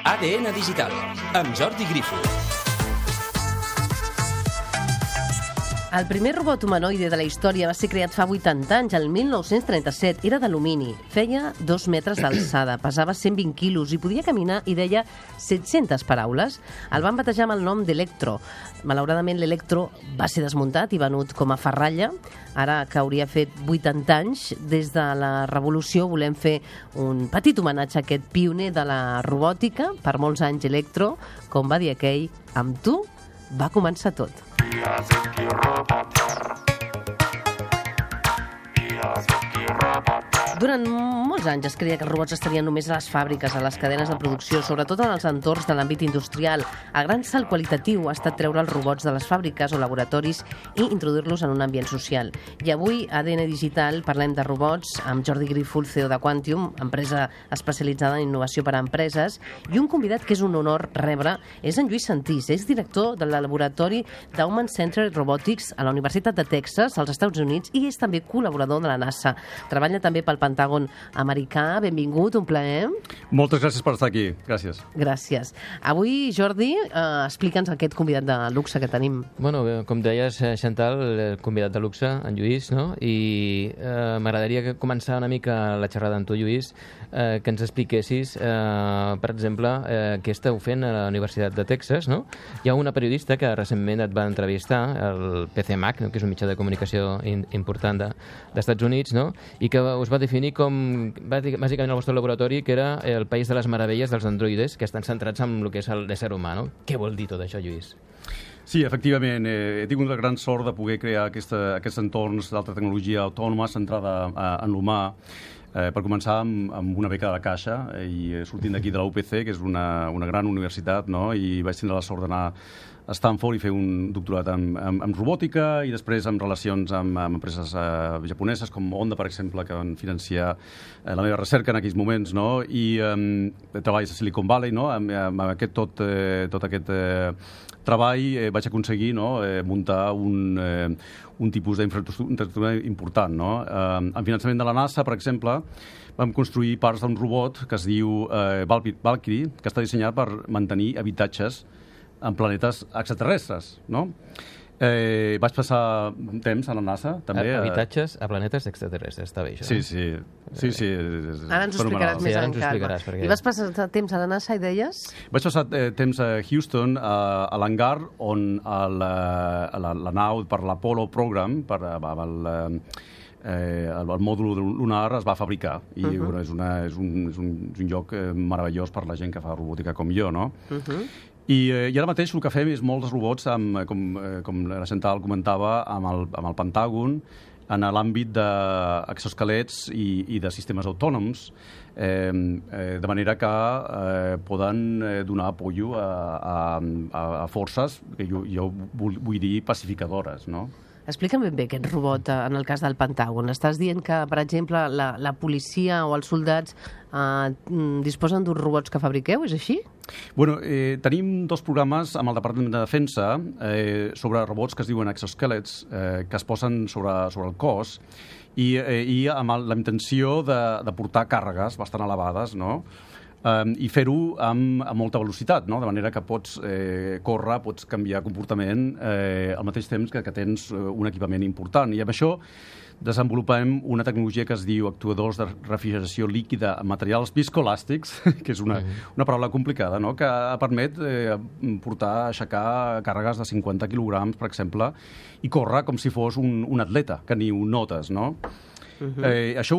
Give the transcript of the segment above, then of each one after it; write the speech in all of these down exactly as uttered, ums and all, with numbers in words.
A D N Digital, amb Jordi Grifo. El primer robot humanoide de la història va ser creat fa vuitanta anys, el mil nou-cents trenta-set. Era d'alumini, feia dos metres d'alçada, pesava cent vint quilos i podia caminar i deia set-centes paraules. El van batejar amb el nom d'Electro. Malauradament, l'Electro va ser desmuntat i venut com a ferralla. Ara que hauria fet vuitanta anys, des de la Revolució volem fer un petit homenatge a aquest pioner de la robòtica. Per molts anys, Electro, com va dir aquell, amb tu va començar tot. Языки роботер. Языки роботер. Durant molts anys es creia que els robots estarien només a les fàbriques, a les cadenes de producció, sobretot en els entorns de l'àmbit industrial. El gran salt qualitatiu ha estat treure els robots de les fàbriques o laboratoris i introduir-los en un ambient social. I avui, a A D N Digital, parlem de robots amb Jordi Grifo, el C E O de Quantium, empresa especialitzada en innovació per a empreses, i un convidat que és un honor rebre és en Lluís Santís, és director del laboratori d'Human Centered Robotics a la Universitat de Texas, als Estats Units, i és també col·laborador de la NASA. Treballa també pel Pentàgon americà. Benvingut, un plaer. Moltes gràcies per estar aquí. Gràcies. Gràcies. Avui, Jordi, eh, explica'ns aquest convidat de luxe que tenim. Bueno, com deies, Chantal, el convidat de luxe, en Lluís, no? I eh, m'agradaria començar una mica la xerrada amb tu, Lluís, eh, que ens expliquessis, eh, per exemple, eh, què esteu fent a la Universitat de Texas, no? Hi ha una periodista que recentment et va entrevistar, el P C M A C, no? Que és un mitjà de comunicació in, important de, dels Estats Units, no? I que us va definir com, bàsicament, el vostre laboratori, que era el país de les meravelles dels androides, que estan centrats en el que és l'ésser humà, no? Què vol dir tot això, Lluís? Sí, efectivament, eh, he tingut la gran sort de poder crear aquesta, aquests entorns d'alta tecnologia autònoma centrada eh, en l'humà, eh, per començar amb, amb una beca de la Caixa, eh, i sortint d'aquí de la U P C, que és una, una gran universitat, no? I vaig tenir la sort d'anar a Stanford i fer un doctorat en, en, en robòtica i després en relacions amb, amb empreses eh, japoneses com Honda, per exemple, que van financiar eh, la meva recerca en aquells moments, no? I eh, treballs a Silicon Valley, no? Amb, amb aquest, tot, eh, tot aquest eh, treball eh, vaig aconseguir, no? eh, muntar un, eh, un tipus d'infraestructura important, no? Eh, en finançament de la NASA, per exemple, vam construir parts d'un robot que es diu eh, Valkyrie, que està dissenyat per mantenir habitatges en planetes extraterrestres, no? Eh, vaig passar temps a la NASA, també. Habitatges a planetes extraterrestres, està bé, això. Sí, sí. sí, sí Ara ens ho explicaràs més sí, en calma. Perquè... I vas passar temps a la NASA i deies? Vaig passar eh, temps a Houston, a, a l'hangar, on el, la, la nau per l'Apollo Program, per el, eh, el, el mòdul lunar, es va fabricar. I uh -huh. bueno, és, una, és, un, és, un, és un lloc eh, meravellós per la gent que fa robòtica com jo, no? Uh -huh. I, eh, I ara mateix el que fem és molts robots, amb, com, eh, com la Chantal comentava, amb el, amb el Pentàgon, en l'àmbit d'exosquelets i, i de sistemes autònoms, eh, eh, de manera que eh, poden eh, donar apoyo a, a, a forces que jo, jo vull, vull dir pacificadores, no? Explica'm ben bé aquest robot en el cas del Pentàgon. Estàs dient que, per exemple, la, la policia o els soldats eh, disposen d'uns robots que fabriqueu, és així? Bueno, eh, tenim dos programes amb el Departament de Defensa eh, sobre robots que es diuen exosquelets, eh, que es posen sobre, sobre el cos, i, eh, i amb la intenció de, de portar càrregues bastant elevades, no? Um, i fer-ho amb, amb molta velocitat, no? De manera que pots eh, córrer, pots canviar comportament eh, al mateix temps que, que tens un equipament important. I amb això desenvolupem una tecnologia que es diu actuadors de refrigeració líquida amb materials viscoelàstics, que és una, una paraula complicada, no? Que permet eh, portar, aixecar càrregues de cinquanta quilograms, per exemple, i córrer com si fos un, un atleta, que ni ho notes, no? Uh-huh. eh, això,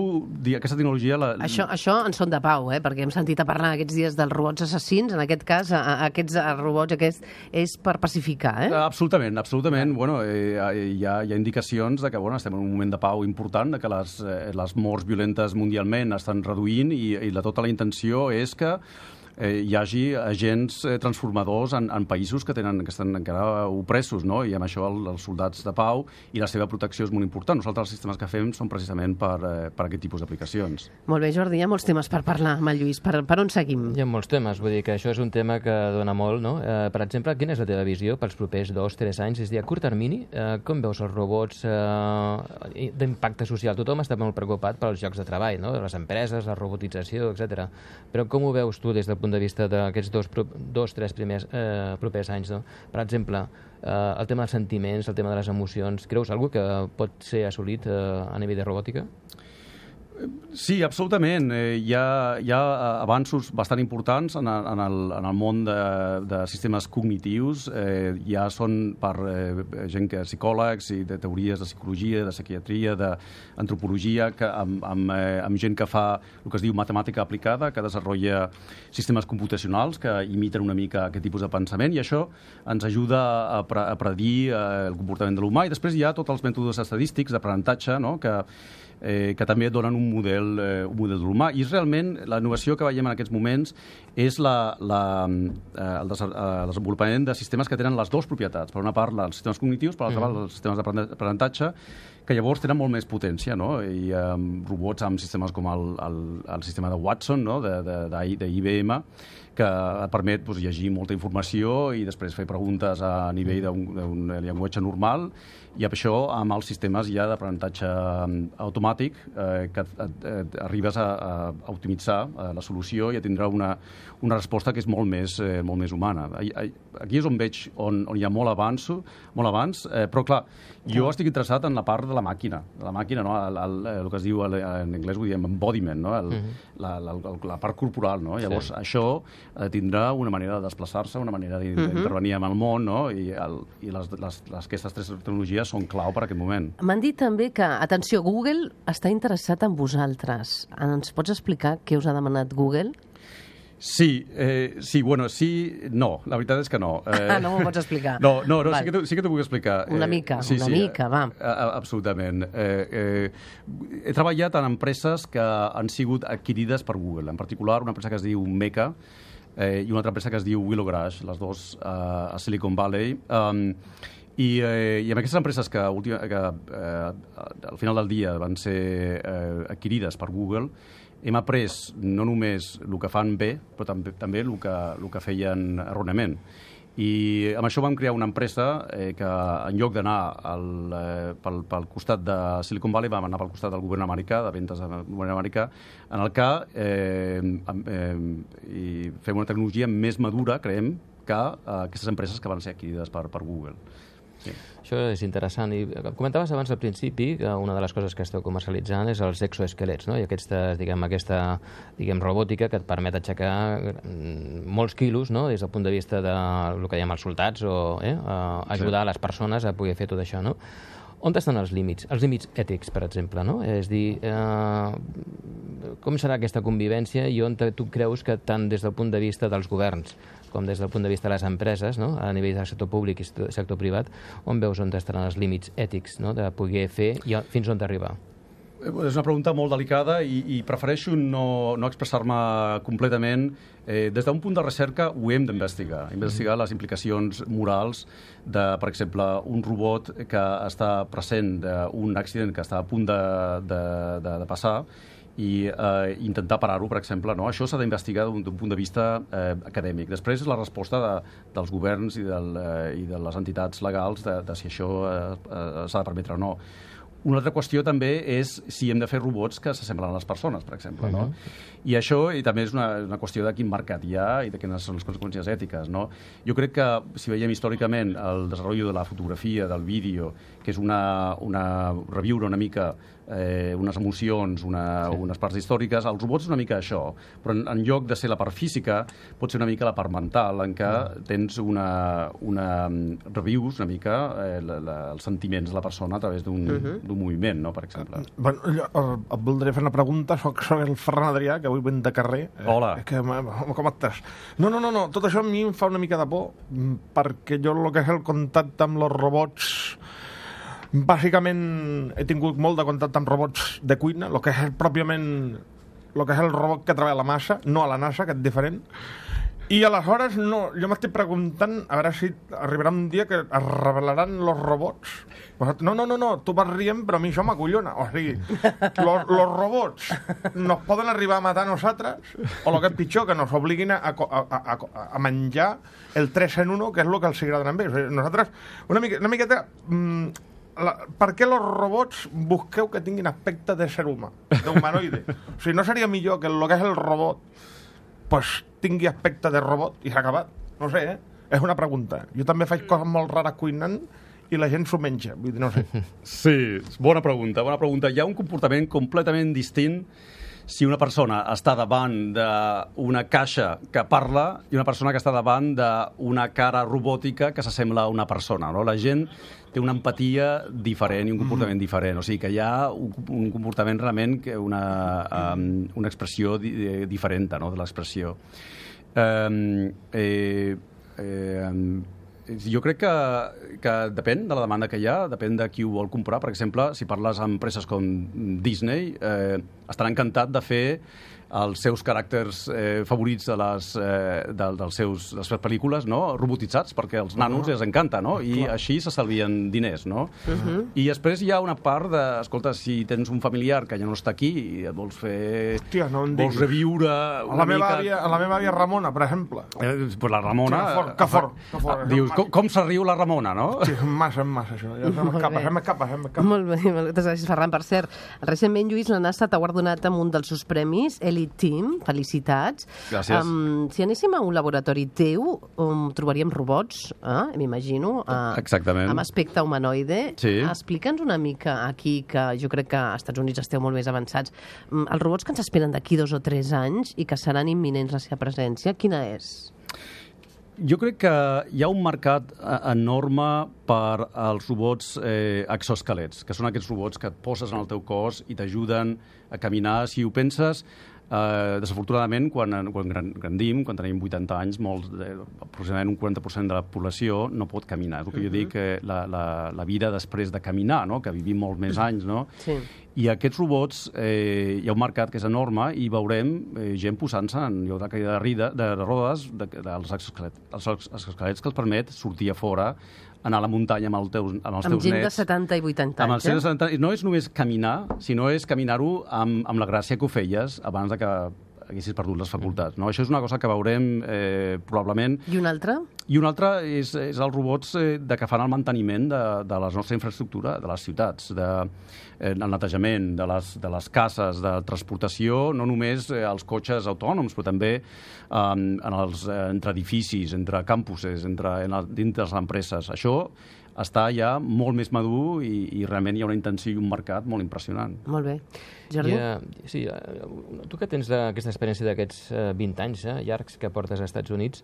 aquesta tecnologia... La... Això, això en són de pau, eh? Perquè hem sentit a parlar aquests dies dels robots assassins. En aquest cas, a, a aquests a robots aquest és per pacificar, eh? Absolutament, absolutament. Bueno, eh, hi, ha, hi ha indicacions de que bueno, estem en un moment de pau important, de que les, eh, les morts violentes mundialment estan reduint i, i la, tota la intenció és que eh, hi hagi agents eh, transformadors en, en països que tenen que estan encara opressos, no? I amb això el, els soldats de pau i la seva protecció és molt important. Nosaltres els sistemes que fem són precisament per, eh, per aquest tipus d'aplicacions. Molt bé, Jordi, hi ha molts temes per parlar amb el Lluís. Per, per on seguim? Hi ha molts temes, vull dir que això és un tema que dona molt, no? Eh, per exemple, quina és la teva visió pels propers dos, tres anys? És a dir, a curt termini, eh, com veus els robots eh, d'impacte social? Tothom està molt preocupat pels llocs de treball, no? Les empreses, la robotització, etcètera. Però com ho veus tu des del punt de vista d'aquests dos, dos tres primers eh, propers anys, no? Per exemple, eh, el tema dels sentiments, el tema de les emocions, creus alguna que pot ser assolit eh, a nivell de robòtica? Sí, absolutament. Eh, hi, ha, hi ha avanços bastant importants en el, en el, en el món de, de sistemes cognitius. Eh, ja són per eh, gent que psicòlegs i de teories de psicologia, de psiquiatria, d'antropologia, que amb, amb, eh, amb gent que fa el que es diu matemàtica aplicada, que desenvolupa sistemes computacionals que imiten una mica aquest tipus de pensament, i això ens ajuda a, pre a predir eh, el comportament de l'humà. I després hi ha tots els mètodes estadístics d'aprenentatge, no?, que Eh, que també donen un model, eh, un model de l'humà. I realment la innovació que veiem en aquests moments és la, la, eh, el, des el desenvolupament de sistemes que tenen les dues propietats. Per una part, els sistemes cognitius, per l'altra part, els sistemes d'aprenentatge, que llavors tenen molt més potència, no? I eh, robots amb sistemes com el, el, el sistema de Watson, no?, de, de, de, de I B M, que et permet doncs, llegir molta informació i després fer preguntes a nivell d'un llenguatge normal, i amb això, amb els sistemes ja d'aprenentatge automàtic, eh, que et, et, et arribes a, a optimitzar eh, la solució i a tindre una, una resposta que és molt més, eh, molt més humana. Aquí és on veig on, on hi ha molt avanç, molt avanç eh, però clar, jo estic interessat en la part de la màquina, de la màquina, no? el, el, el que es diu en anglès, ho diem embodiment, no? el, uh -huh. la, la, la, la part corporal, no? Llavors sí. Això eh, tindrà una manera de desplaçar-se, una manera d'intervenir uh -huh. amb el món, no? I, el, i les, les, les, aquestes tres tecnologies són clau per aquest moment. M'han dit també que, atenció, Google està interessat en vosaltres. Ens pots explicar què us ha demanat Google? Sí, eh, sí, bueno, sí, no, la veritat és que no. Eh, ah, no m'ho pots explicar. No, no, no sí que, sí que t'ho puc explicar. Una mica, eh, sí, una sí, mica, va. Eh, absolutament. Eh, eh, he treballat en empreses que han sigut adquirides per Google, en particular una empresa que es diu Meca, eh, i una altra empresa que es diu Willow Garage, les dues eh, a Silicon Valley. Um, I, eh, I amb aquestes empreses que, última, que eh, al final del dia van ser eh, adquirides per Google, hem après no només el que fan bé, però també, també el, que, el que feien erròniament. I amb això vam crear una empresa eh, que en lloc d'anar eh, pel, pel costat de Silicon Valley vam anar pel costat del govern americà, de ventes del govern americà, en el que eh, eh, i fem una tecnologia més madura, creiem, que eh, aquestes empreses que van ser adquirides per, per Google. Sí. Això és interessant. I comentaves abans al principi que una de les coses que esteu comercialitzant és els exoesquelets, no? I aquesta, diguem, aquesta diguem, robòtica que et permet aixecar molts quilos, no? Des del punt de vista del que diem els soldats o eh? ajudar sí. les persones a poder fer tot això, no? On estan els límits? Els límits ètics, per exemple, no? És dir, eh, com serà aquesta convivència i on tu creus que tant des del punt de vista dels governs com des del punt de vista de les empreses, no? A nivell del sector públic i sector privat, on veus on estaran els límits ètics, no? De poder fer i fins on arribar? És una pregunta molt delicada i, i prefereixo no, no expressar-me completament. Eh, des d'un punt de recerca ho hem d'investigar, investigar les implicacions morals de, per exemple, un robot que està present d'un accident que està a punt de, de, de, de passar i eh, intentar parar-ho, per exemple. No? Això s'ha d'investigar d'un punt de vista eh, acadèmic. Després és la resposta de, dels governs i, del, eh, i de les entitats legals de, de si això eh, eh, s'ha de permetre o no. Una altra qüestió també és si hem de fer robots que s'assemblen a les persones, per exemple. No? Uh-huh. I això i també és una, una qüestió de quin mercat hi ha i de quines són les conseqüències ètiques. No? Jo crec que, si veiem històricament el desenvolupament de la fotografia, del vídeo, que és una, una reviure una mica eh, unes emocions, una, sí. unes parts històriques, els robots és una mica això, però en, en lloc de ser la part física, pot ser una mica la part mental, en què uh-huh. tens una, una revius una mica eh, la, la, els sentiments de la persona a través d'un uh-huh. d'un moviment, no, per exemple. Bueno, jo et voldré fer una pregunta. Soc, soc el Ferran Adrià, que avui venc de carrer. Hola. Eh, que, com estàs? No, no, no, no, tot això a mi em fa una mica de por, perquè jo el que és el contacte amb els robots, bàsicament he tingut molt de contacte amb robots de cuina, el que és pròpiament el que és el robot que treballa a la massa, no a la NASA, que és diferent. I aleshores, no, jo m'estic preguntant a veure si arribarà un dia que es revelaran los robots. No, no, no, no, tu vas rient, però a mi això m'acollona. O sigui, los, los robots nos poden arribar a matar a nosaltres, o el que és pitjor, que nos obliguin a, a, a, a menjar el tres en uno, que és el que els agrada a ells. O sigui, nosaltres, una, mica, una miqueta... Mmm, La, per què els robots busqueu que tinguin aspecte de ser humà, d'humanoide? O sigui, no seria millor que el que és el robot pues, tingui aspecte de robot i s'ha acabat? No sé, eh? És una pregunta. Jo també faig coses molt rares cuinant i la gent s'ho menja. Vull dir, no sé. Sí, bona pregunta, bona pregunta. Hi ha un comportament completament distint si una persona està davant d'una caixa que parla i una persona que està davant d'una cara robòtica que s'assembla a una persona, no? La gent té una empatia diferent i un comportament mm. diferent. O sigui que hi ha un, un comportament realment, una, um, una expressió di, diferent, no?, de l'expressió. Um, eh, eh, jo crec que, que depèn de la demanda que hi ha, depèn de qui ho vol comprar. Per exemple, si parles amb empreses com Disney, eh, estarà encantat de fer els seus caràcters eh, favorits de les, eh, de, dels seus, de les seves pel·lícules, no?, robotitzats, perquè als nanos uh -huh. els encanta, no?, i així s'estalvien diners, no? Uh -huh. I després hi ha una part de, escolta, si tens un familiar que ja no està aquí i et vols fer... Hòstia, no em vols reviure a una la meva mica... àvia, a la meva àvia Ramona, per exemple. Eh, pues la Ramona... Que fort, que fort. Que fort dius, com, com se riu la Ramona, no? Sí, és massa, és massa, això. Ja se m'escapa, se m'escapa, se m'escapa. Molt bé, moltes gràcies, Ferran. Per cert, recentment, Lluís, la NASA t'ha guardonat amb un dels seus premis, Elite Team. Felicitats. Gràcies. Um, si anéssim a un laboratori teu, um, trobaríem robots, eh, m'imagino, uh, exactament, amb aspecte humanoide. Sí. Explica'ns una mica aquí, que jo crec que als Estats Units esteu molt més avançats, um, els robots que ens esperen d'aquí dos o tres anys i que seran imminents la seva presència, quina és? Jo crec que hi ha un mercat enorme per als robots eh, exoesquelets, que són aquests robots que et poses en el teu cos i t'ajuden a caminar. Si ho penses, eh, desafortunadament, quan, quan grandim, quan tenim vuitanta anys, molts, eh, aproximadament un quaranta per cent de la població no pot caminar. És el que jo dic, eh, la, la, la vida després de caminar, no?, que vivim molt més anys, no? Sí. I aquests robots, eh, hi ha un mercat que és enorme i veurem eh, gent posant-se en lloc de caïda de, rida, de rodes de, de, dels exoesquelets, els exoesquelets que els permet sortir a fora, anar a la muntanya amb, el teus, amb els amb teus nets. Amb gent de setanta i vuitanta anys, eh? setanta, no és només caminar, sinó és caminar-ho amb, amb la gràcia que ho feies abans de que haguessis perdut les facultats, no? Això és una cosa que veurem eh, probablement. I una altra? I una altra és, és els robots eh, de que fan el manteniment de, de la nostra infraestructura, de les ciutats, de, eh, el netejament, de les, de les cases, de transportació, no només eh, els cotxes autònoms, però també eh, en els, eh, entre edificis, entre campuses, entre, en el, dintre les empreses. Això està ja molt més madur i, i realment hi ha una intenció i un mercat molt impressionant. Molt bé. Jordi? Ja, sí, tu que tens aquesta experiència d'aquests vint anys eh, llargs que portes als Estats Units,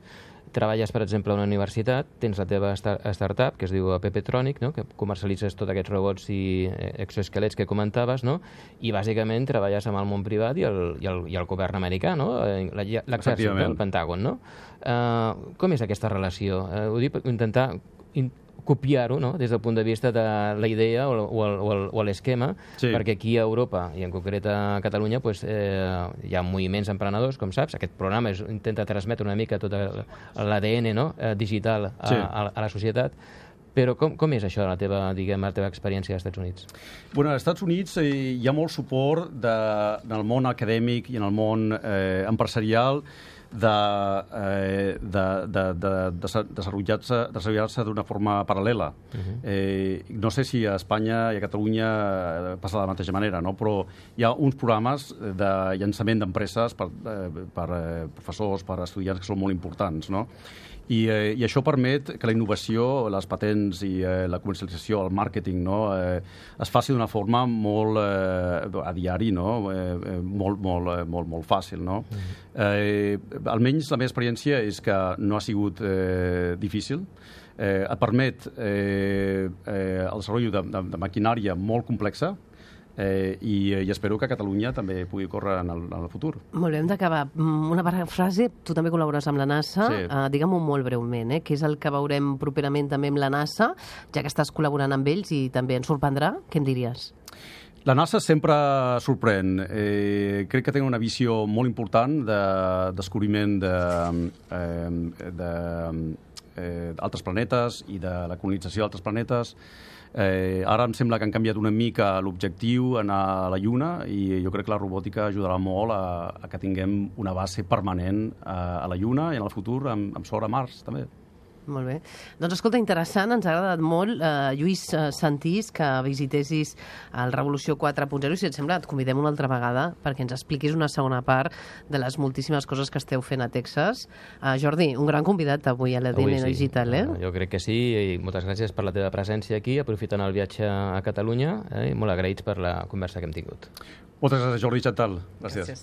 treballes, per exemple, a una universitat, tens la teva startup, que es diu Pepetronic, no?, que comercialitzes tots aquests robots i exoesquelets que comentaves, no?, i bàsicament treballes amb el món privat i el, i el, i el govern americà, no?, l'exèrcit, el Pentàgon, no? Uh, com és aquesta relació? Uh, ho dic per intentar copiar-ho, no?, des del punt de vista de la idea o, o, o l'esquema, sí. Perquè aquí a Europa, i en concret a Catalunya, pues, eh, hi ha moviments emprenedors, com saps. Aquest programa és, intenta transmetre una mica tot l'A D N, no?, eh, digital a, sí. a, a la societat. Però com, com és això, la teva, diguem, la teva experiència als Estats Units? Bueno, als Estats Units eh, hi ha molt suport de, en el món acadèmic i en el món eh, empresarial de, eh, de, de, de, de desenvolupar-se desenvolupar-se d'una forma paral·lela. Uh-huh. eh, no sé si a Espanya i a Catalunya passa de la mateixa manera, no? Però hi ha uns programes de llançament d'empreses per, eh, per eh, professors, per estudiants que són molt importants, no? I, eh, I això permet que la innovació, les patents i eh, la comercialització, el màrqueting, no, eh, es faci d'una forma molt eh, a diari, no, eh, molt, molt, molt, molt fàcil, no? Mm. Eh, almenys la meva experiència és que no ha sigut eh, difícil. Eh, et permet eh, eh, el desenvolupament de, de, de maquinària molt complexa, Eh, i, i espero que Catalunya també pugui córrer en el, en el futur. Molt bé, hem d'acabar. Una frase, tu també col·labores amb la NASA, sí. uh, digue'm-ho molt breument, eh? Què és el que veurem properament també amb la NASA, ja que estàs col·laborant amb ells i també ens sorprendrà, què em diries? La NASA sempre sorprèn. Eh, crec que té una visió molt important de descobriment de, eh, de, eh, d'altres planetes i de la colonització d'altres planetes. Eh, ara em sembla que han canviat una mica l'objectiu, anar a la Lluna, i jo crec que la robòtica ajudarà molt a, a que tinguem una base permanent a, a la Lluna i en el futur amb, amb sort a Mars, també. Molt bé. Doncs escolta, interessant, ens ha agradat molt. Eh, Lluís eh, Santís, que visitessis el Revolució quatre punt zero, i si et sembla et convidem una altra vegada perquè ens expliquis una segona part de les moltíssimes coses que esteu fent a Texas. Eh, Jordi, un gran convidat avui a l'A D N sí. Digital, eh? Jo crec que sí, i moltes gràcies per la teva presència aquí, aprofitant el viatge a Catalunya, eh, i molt agraïts per la conversa que hem tingut. Moltes gràcies, Jordi Chantal. Gràcies. Gràcies.